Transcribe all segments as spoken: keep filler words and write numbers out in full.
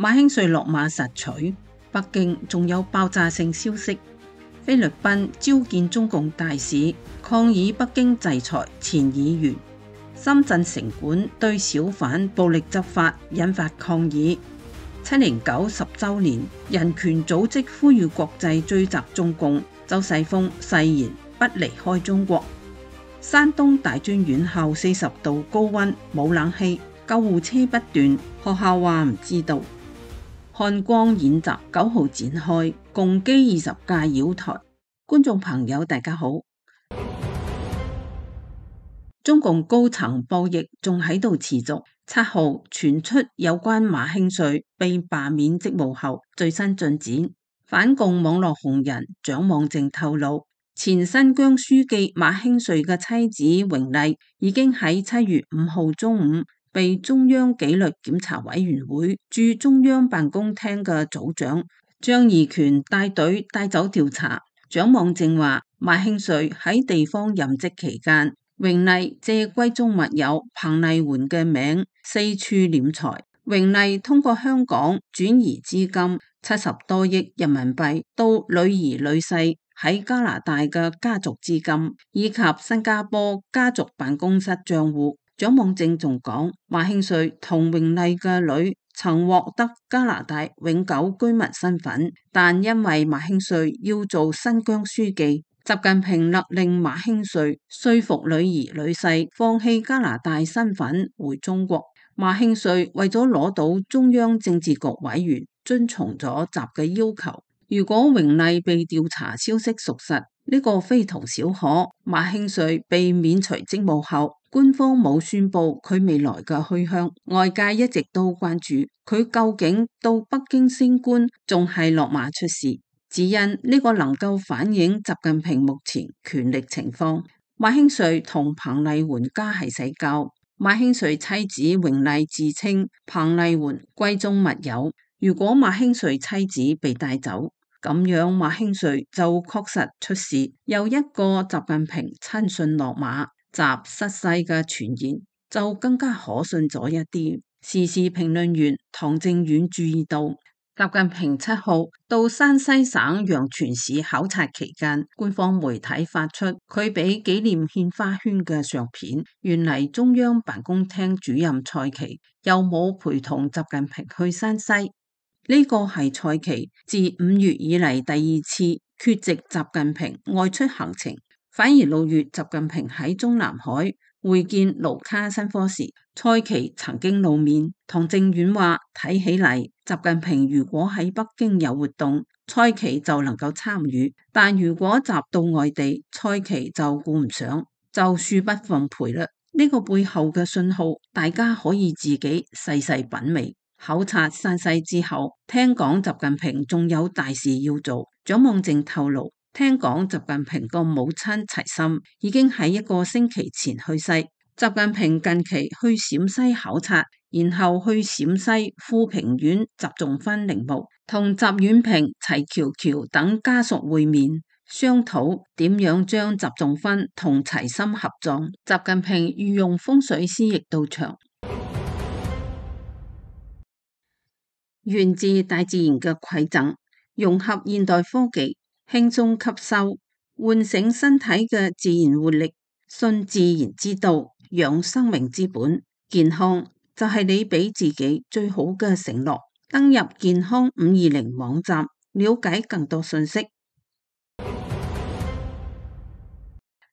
馬興瑞落馬實取，北京仲有爆炸性消息。菲律賓召見中共大使，抗議北京制裁前議員。深圳城管對小販暴力執法引發抗議。七零九十週年，人權組織呼籲國際追責中共。周世鋒誓言不離開中國。山東大專院校四十度高溫，冇冷氣，救護車不斷，學校話唔知道。漢光演習九號展開，共機二十架繞台。觀眾朋友大家好。中共高層博弈仲喺度持續。七號傳出有關馬興瑞被罷免職務後最新進展。反共網絡紅人蔣望正透露，前新疆書記馬興瑞嘅妻子榮麗已經喺七月五號中午被中央紀律檢查委員會駐中央辦公廳嘅組長張義權帶隊帶走調查。蔣望正話，馬興瑞喺地方任職期間，榮麗借閨中密友彭麗媛嘅名四處斂財。榮麗通過香港轉移資金七十多億人民幣到女兒女婿喺加拿大嘅家族資金，以及新加坡家族辦公室賬戶。蔣望正仲講，馬興瑞同榮麗嘅女曾獲得加拿大永久居民身份，但因為馬興瑞要做新疆書記，習近平勒令馬興瑞說服女兒女婿放棄加拿大身份回中國。馬興瑞為咗攞到中央政治局委員，遵從咗習嘅要求。如果榮麗被調查消息屬實，呢個非同小可。馬興瑞被免除職務後，官方冇宣布佢未來嘅去向，外界一直都關注佢究竟到北京升官，仲係落馬出事。只因呢個能夠反映習近平目前權力情況。馬興瑞同彭麗媛家係世交。馬興瑞妻子榮麗自稱彭麗媛閨中密友。如果馬興瑞妻子被帶走，咁樣馬興瑞就確實出事。又一個習近平親信落馬，習失勢嘅傳言就更加可信咗一啲。時事評論員唐正遠注意到，習近平七號到山西省陽泉市考察期間，官方媒體發出佢俾紀念獻花圈嘅相片。原嚟中央辦公廳主任蔡奇又冇陪同習近平去山西，呢個係蔡奇自五月以嚟第二次缺席習近平外出行程。反而六月習近平喺中南海會見盧卡申科時，蔡奇曾經露面。唐正遠話，睇起嚟習近平如果喺北京有活動，蔡奇就能夠參與，但如果習到外地，蔡奇就顧唔上，就恕不奉陪啦。呢個背後嘅信號，大家可以自己細細品味。考察山西之後，聽講習近平仲有大事要做。蔣望正透露，聽講習近平個母親齊心已經喺一個星期前去世。習近平近期去陝西考察，然後去陝西富平縣習仲勳陵墓，同習遠平、齊喬喬等家屬會面，商討點樣將習仲勳同齊心合葬。習近平御用風水師亦到場。源自大自然嘅饋贈，融合現代科技，輕鬆吸收，喚醒身體嘅自然活力，信自然之道，養生命之本。健康就係你俾自己最好嘅承諾。登入健康五二零網站，了解更多信息。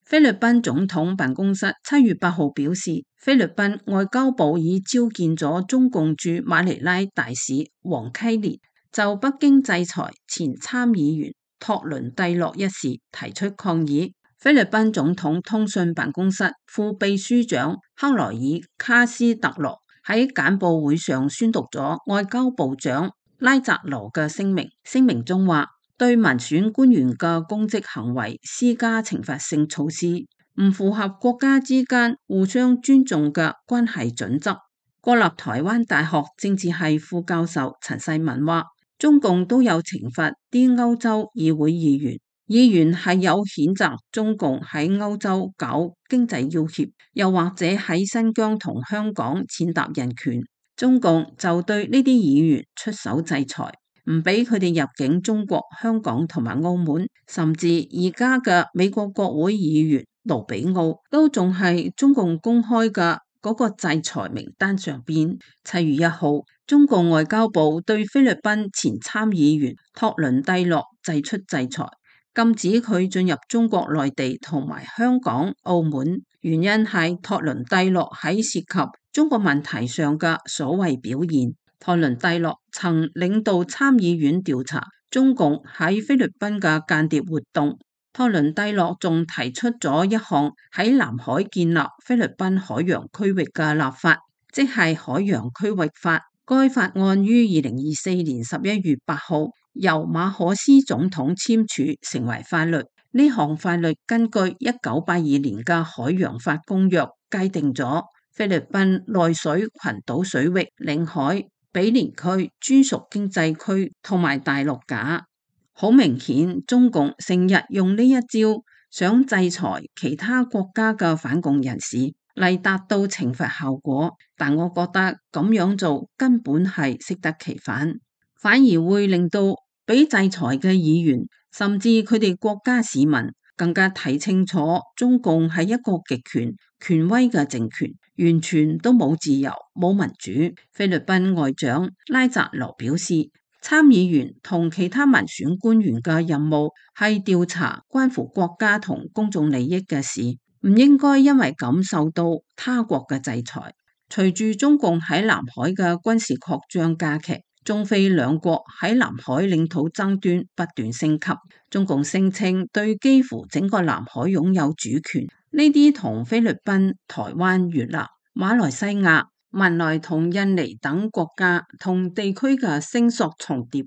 菲律賓總統辦公室七月八號表示，菲律賓外交部已召見咗中共駐馬尼拉大使黃溪連，就北京制裁前參議員托倫蒂諾一事提出抗議。菲律賓總統通訊辦公室副秘書長克萊爾卡斯特羅喺簡報會上宣讀咗外交部長拉扎羅嘅聲明，聲明中話，對民選官員嘅公職行為施加懲罰性措施，唔符合國家之間互相尊重嘅關係準則。國立台灣大學政治系副教授陳世文話，中共都有懲罰啲歐洲議會議員，議員係有譴責中共喺歐洲搞經濟要挾，又或者喺新疆同香港踐踏人權。中共就對呢啲議員出手制裁，唔俾佢哋入境中國香港同埋澳門，甚至而家嘅美國國會議員盧比奧都仲係中共公開嘅嗰個制裁名單上邊。七月一號，中共外交部對菲律賓前參議員托倫蒂諾祭出制裁，禁止佢進入中國內地同埋香港、澳門。原因係托倫蒂諾喺涉及中國問題上嘅所謂表現。托倫蒂諾曾領導參議院調查中共喺菲律賓嘅間諜活動。托倫蒂諾仲提出咗一項喺南海建立菲律賓海洋區域嘅立法，即係海洋區域法。該法案於二零二四年十一月八號由馬可斯總統簽署成為法律。呢項法律根據一九八二年嘅海洋法公約，界定咗菲律賓內水群島水域、領海、比連區、專屬經濟區同埋大陸架。好明顯，中共成日用呢一招，想制裁其他國家嘅反共人士嚟達到懲罰效果。但我覺得咁樣做根本係適得其反，反而會令到被制裁嘅議員甚至佢哋國家市民更加睇清楚中共係一個極權權威嘅政權，完全都冇自由冇民主。菲律賓外長拉扎羅表示，參議員同其他民選官員嘅任務係調查關乎國家同公眾利益嘅事，唔應該因為咁受到他國嘅制裁。隨住中共喺南海嘅軍事擴張加劇，中菲兩國喺南海領土爭端不斷升級。中共聲稱對幾乎整個南海擁有主權，呢啲同菲律賓、台灣、越南、馬來西亞、文萊同印尼等國家同地區嘅聲索重疊。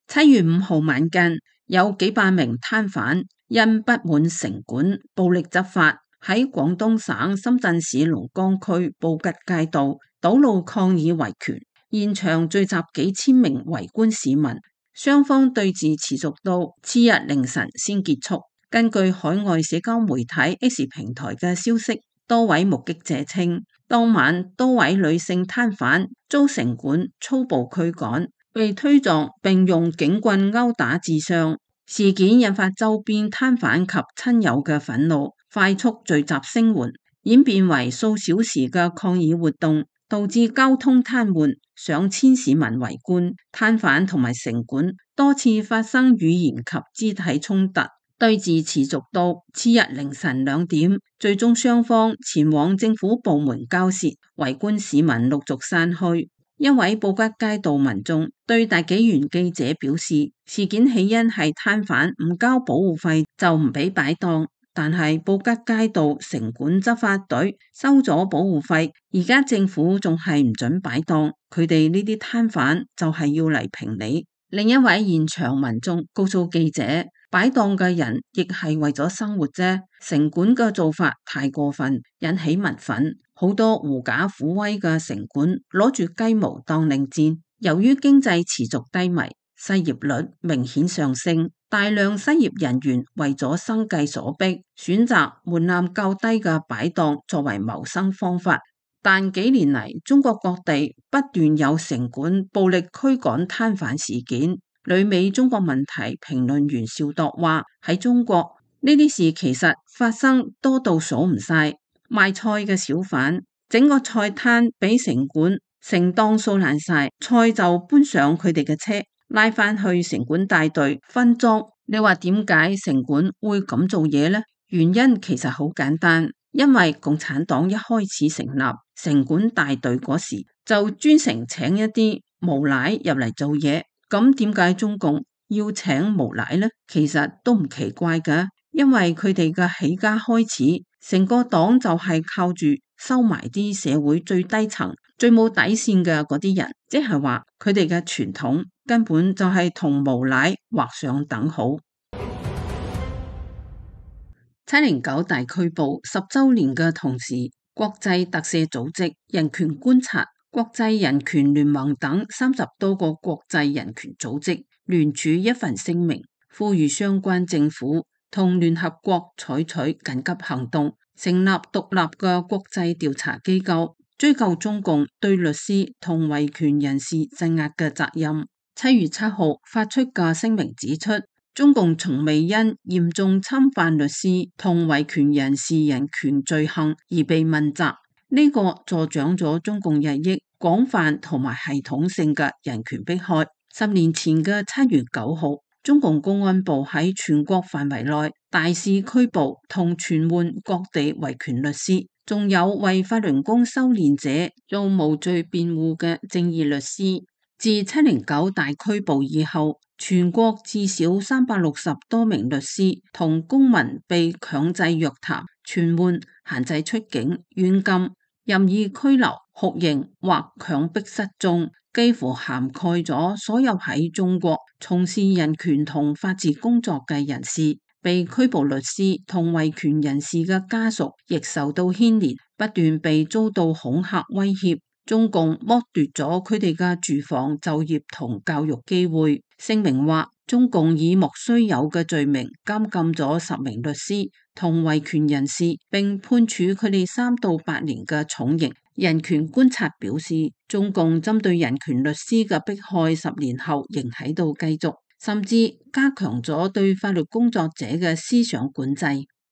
七月五號晚間，有幾百名攤販因不滿城管暴力執法，喺廣東省深圳市龍崗區布吉街道堵路抗議維權，現場聚集幾千名圍觀市民，雙方對峙持續到次日凌晨先結束。根據海外社交媒體 X 平台嘅消息，多位目擊者稱，當晚多位女性攤販遭城管粗暴驅趕，被推撞並用警棍毆打致傷。事件引發周邊攤販及親友嘅憤怒，快速聚集聲援，演變為數小時嘅抗議活動，導致交通癱瘓，上千市民圍觀。攤販同埋城管多次發生語言及肢體衝突，對峙持續到次日凌晨兩點，最終雙方前往政府部門交涉，圍觀市民陸續散去。一位布吉街道民眾對大紀元記者表示，事件起因係攤販唔交保護費就唔俾擺檔，但係布吉街道城管執法隊收咗保護費，而家政府仲係唔准擺檔，佢哋呢啲攤販就係要嚟評理。另一位現場民眾告訴記者，擺檔嘅人亦係為咗生活啫，城管嘅做法太過分，引起民憤。好多狐假虎威嘅城管攞住雞毛當令箭。由於經濟持續低迷，失業率明顯上升，大量失業人員為咗生計所迫，選擇門檻較低嘅擺檔作為謀生方法。但幾年嚟，中國各地不斷有城管暴力驅趕攤販事件。旅美中國問題評論員邵鐸話：喺中國呢啲事其實發生多到數唔晒。賣菜嘅小販，整個菜攤俾城管成檔掃爛晒，菜就搬上佢哋嘅車，拉返去城管大隊分裝。你話點解城管會咁做嘢呢？原因其實好簡單，因為共產黨一開始成立城管大隊嗰時，就專程請一啲無賴入嚟做嘢。咁點解中共要請無賴呢？其實都唔奇怪㗎，因為佢哋嘅起家開始，成個黨就係靠住收埋啲社會最低層、最冇底線嘅嗰啲人，即係話佢哋嘅傳統根本就係同無賴劃上等號。七零九大拘捕十週年嘅同時，國際特赦組織、人權觀察、國際人權聯盟等三十多個國際人權組織聯署一份聲明，呼籲相關政府同聯合國採取緊急行動，成立獨立嘅國際調查機構，追究中共對律師同維權人士鎮壓嘅責任。七月七號發出嘅聲明指出，中共從未因嚴重侵犯律師同維權人士人權罪行而被問責，呢、這個助長咗中共日益廣泛同埋系統性嘅人權迫害。十年前嘅七月九號，中共公安部喺全國範圍內大肆拘捕同傳喚各地維權律師，仲有為法輪功修煉者做無罪辯護嘅正義律師。自七零九大拘捕以後，全國至少三百六十多名律師同公民被強制約談、傳喚、限制出境、軟禁、任意拘留、酷刑或強迫失蹤，幾乎涵蓋咗所有喺中國從事人權同法治工作嘅人士。被拘捕律師同維權人士嘅家屬亦受到牽連，不斷被遭到恐嚇威脅。中共剝奪咗佢哋嘅住房、就業同教育機會。聲明話，中共以莫須有嘅罪名監禁咗十名律師同維權人士，並判處佢哋三到八年嘅重刑。人權觀察表示，中共針對人權律師嘅迫害十年後仍喺度繼續，甚至加強咗對法律工作者嘅思想管制。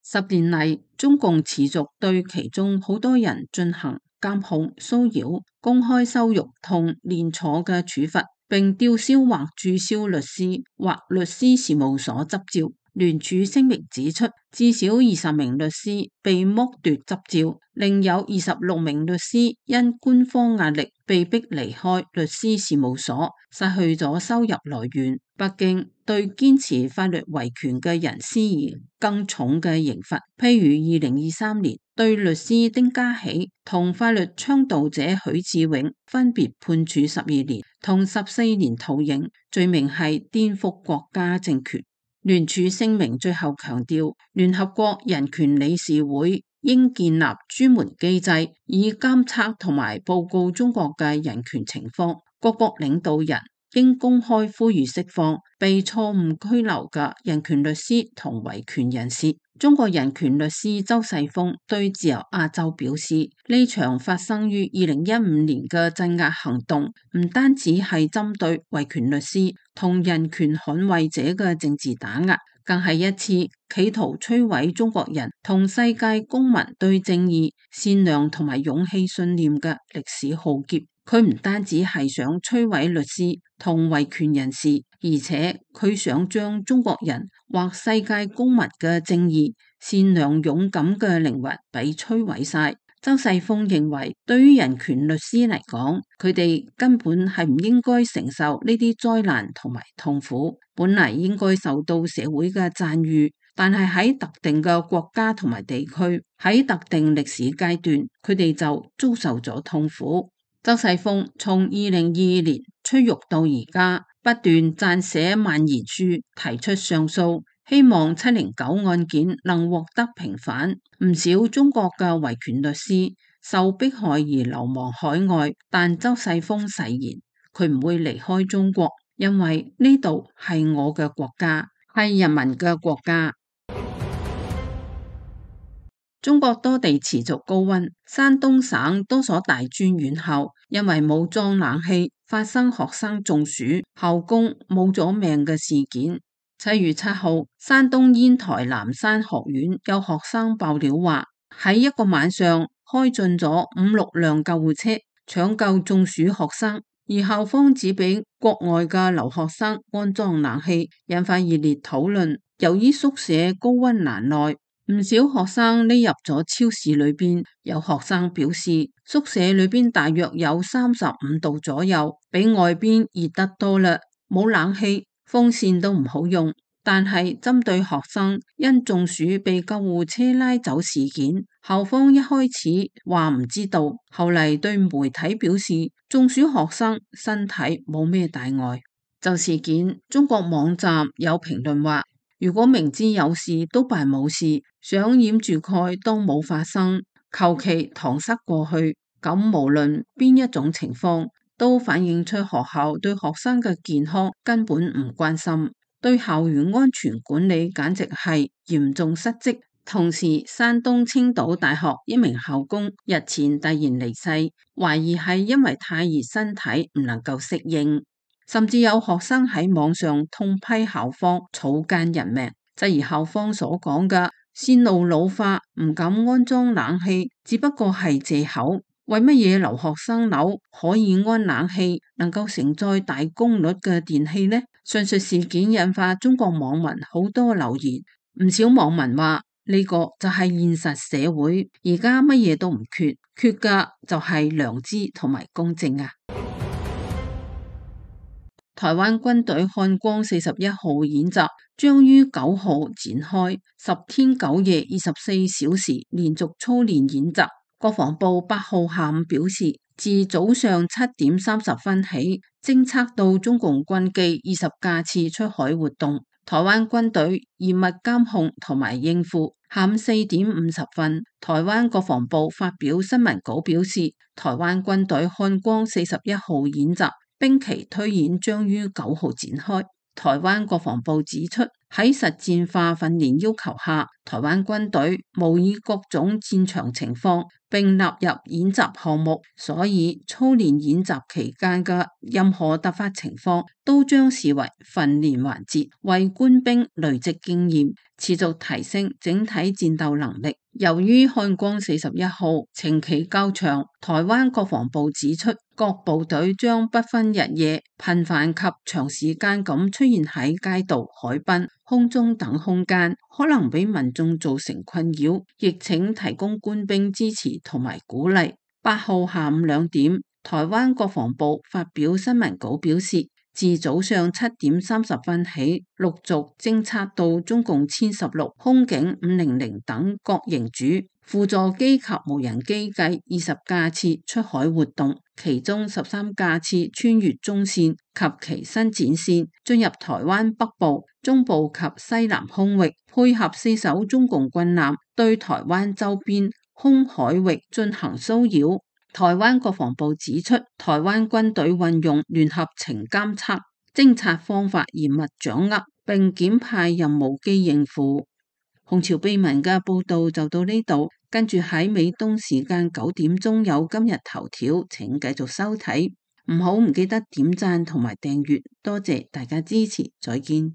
十年嚟，中共持續對其中好多人進行監控、騷擾、公開羞辱同連坐嘅處罰，並吊銷或註銷律師或律師事務所執照。聯署聲明指出，至少二十名律師被剝奪執照，另有二十六名律師因官方壓力被迫離開律師事務所，失去咗收入來源。北京對堅持法律維權嘅人施以更重嘅刑罰，譬如二零二三年對律師丁家喜同法律倡導者許志永分別判處十二年同十四年徒刑，罪名係顛覆國家政權。聯署聲明最後強調，聯合國人權理事會應建立專門機制，以監測同埋報告中國嘅人權情況。各國領導人應公開呼籲釋放被錯誤拘留嘅人權律師同維權人士。中國人權律師周世峰對自由亞洲表示，呢場發生於二零一五年嘅鎮壓行動，唔單止係針對維權律師同人權捍衛者嘅政治打壓，更係一次企圖摧毀中國人同世界公民對正義、善良同埋勇氣信念嘅歷史浩劫。佢唔單止係想摧毀律師同維權人士，而且佢想將中國人或世界公民嘅正義、善良、勇敢嘅靈魂俾摧毀晒。周世峰認為，對於人權律師嚟講，佢哋根本係唔應該承受呢啲災難同埋痛苦，本嚟應該受到社會嘅讚譽，但係喺特定嘅國家同埋地區，喺特定歷史階段，佢哋就遭受咗痛苦。周世峰從二零二二年出獄到而家，不斷撰寫蔓延書，提出上訴，希望七零九案件能獲得平反。唔少中國嘅維權律師受迫害而流亡海外，但周世峰誓言佢唔會離開中國，因為呢度係我嘅國家，係人民嘅國家。中國多地持續高溫，山東省多所大專院校因為冇裝冷氣，發生學生中暑、校工冇咗命嘅事件。七月七號，山東煙台南山學院有學生爆料話，喺一個晚上開進咗五六輛救護車搶救中暑學生，而校方只俾國外嘅留學生安裝冷氣，引發熱烈討論。由於宿舍高溫難耐，唔少學生匿入咗超市裏邊。有學生表示，宿舍裏邊大約有三十五度左右，比外邊熱得多啦，冇冷氣，風扇都唔好用。但係針對學生因中暑被救護車拉走事件，校方一開始話唔知道，後嚟對媒體表示，中暑學生身體冇咩大礙。就事件，中國網站有評論話，如果明知有事都扮冇事，想掩住蓋當冇發生，求其搪塞過去，咁無論邊一種情況，都反映出學校對學生嘅健康根本唔關心，對校園安全管理簡直係嚴重失職，同時，山東青島大學一名校工日前突然離世，懷疑係因為太熱身體唔能夠適應，甚至有學生喺網上痛批校方草菅人命，質疑校方所講嘅線路老化唔敢安裝冷氣，只不過係借口。為乜嘢留學生樓可以安冷氣，能夠承載大功率嘅電器呢？上述事件引發中國網民好多留言，唔少網民話呢個就係現實社會，而家乜嘢都唔缺，缺嘅就係良知同埋公正啊！台灣軍隊漢光四十一號演習將於九號展開，十天九夜二十四小時連續操練演習。國防部八號下午表示，自早上七點三十分起，偵測到中共軍機二十架次出海活動，台灣軍隊嚴密監控同埋應付。下午四點五十分，台灣國防部發表新聞稿表示，台灣軍隊漢光四十一號演習兵棋推演將於九號展開。台灣國防部指出，喺實戰化訓練要求下，台灣軍隊模擬各種戰場情況，並納入演習項目，所以操練演習期間嘅任何突發情況都將視為訓練環節，為官兵累積經驗，持續提升整體戰鬥能力。由於漢光四十一號程期較長，台灣國防部指出，各部隊將不分日夜，頻繁及長時間咁出現喺街道、海濱、空中等空間，可能俾民眾造成困擾，亦請提供官兵支持同埋鼓勵。八號下午兩點，台灣國防部發表新聞稿表示，自早上七點三十分起，陸續偵測到中共殲十六、空警五零零等各型主輔助機及無人機計二十架次出海活動，其中十三架次穿越中線及其伸展線，進入台灣北部、中部及西南空域，配合四艘中共軍艦對台灣周邊空海域進行騷擾。台灣國防部指出，台灣軍隊運用聯合情監測、偵察方法嚴密掌握，並檢派任務機應付。紅潮秘聞嘅報道就到呢度，跟住喺美東時間九點鐘有今日頭條，請繼續收睇，唔好唔記得點讚同埋訂閱，多謝大家支持，再見。